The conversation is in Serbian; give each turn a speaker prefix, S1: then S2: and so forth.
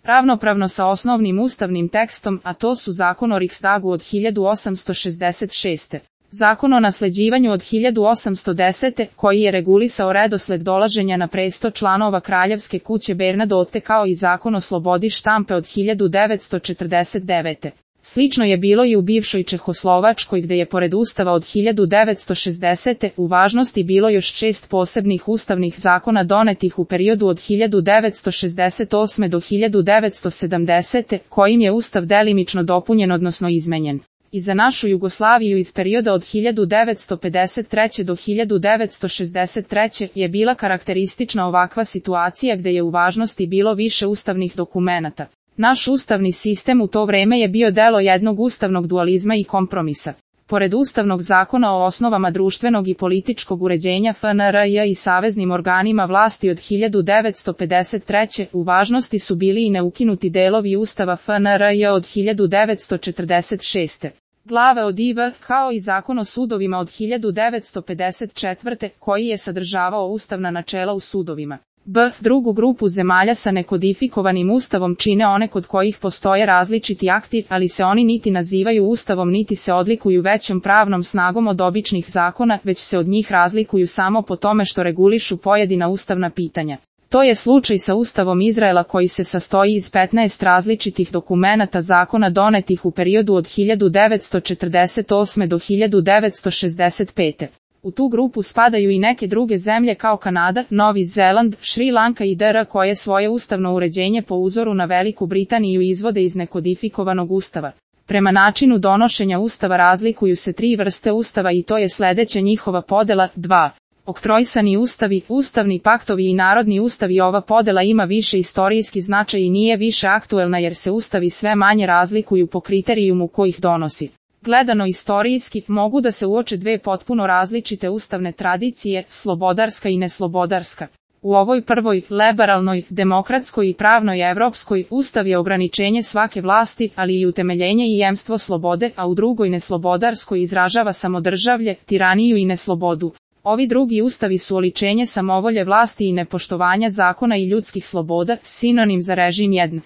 S1: ravnopravno sa osnovnim ustavnim tekstom, a to su Zakon o Riksdagu od 1866. Zakon o nasleđivanju od 1810. koji je regulisao redosled dolaženja na presto članova kraljevske kuće Bernadotte, kao i Zakon o slobodi štampe od 1949. Slično je bilo i u bivšoj Čehoslovačkoj, gde je pored Ustava od 1960. u važnosti bilo još 6 posebnih ustavnih zakona donetih u periodu od 1968. do 1970. kojim je Ustav delimično dopunjen odnosno izmenjen. I za našu Jugoslaviju iz perioda od 1953. do 1963. je bila karakteristična ovakva situacija gde je u važnosti bilo više ustavnih dokumenata. Naš ustavni sistem u to vreme je bio delo jednog ustavnog dualizma i kompromisa. Pored Ustavnog zakona o osnovama društvenog i političkog uređenja FNRJ i saveznim organima vlasti od 1953. u važnosti su bili i neukinuti delovi Ustava FNRJ od 1946. glave od IV, kao i Zakon o sudovima od 1954. koji je sadržavao ustavna načela u sudovima. Drugu grupu zemalja sa nekodifikovanim ustavom čine one kod kojih postoje različiti akti, ali se oni niti nazivaju ustavom niti se odlikuju većom pravnom snagom od običnih zakona, već se od njih razlikuju samo po tome što regulišu pojedina ustavna pitanja. To je slučaj sa Ustavom Izraela koji se sastoji iz 15 različitih dokumenata zakona donetih u periodu od 1948. do 1965. U tu grupu spadaju i neke druge zemlje kao Kanada, Novi Zeland, Šri Lanka i DR koje svoje ustavno uređenje po uzoru na Veliku Britaniju izvode iz nekodifikovanog ustava. Prema načinu donošenja ustava razlikuju se 3 vrste ustava i to je sledeća njihova podela: 2. Oktroisani ustavi, ustavni paktovi i narodni ustavi. Ova podela ima više istorijski značaj i nije više aktuelna jer se ustavi sve manje razlikuju po kriterijumu koji ih donosi. Gledano istorijski, mogu da se uoče dve potpuno različite ustavne tradicije, slobodarska i neslobodarska. U ovoj prvoj, liberalnoj, demokratskoj i pravnoj evropskoj, ustav je ograničenje svake vlasti, ali i utemeljenje i jemstvo slobode, a u drugoj neslobodarskoj izražava samodržavlje, tiraniju i neslobodu. Ovi drugi ustavi su oličenje samovolje vlasti i nepoštovanja zakona i ljudskih sloboda, sinonim za režim 1.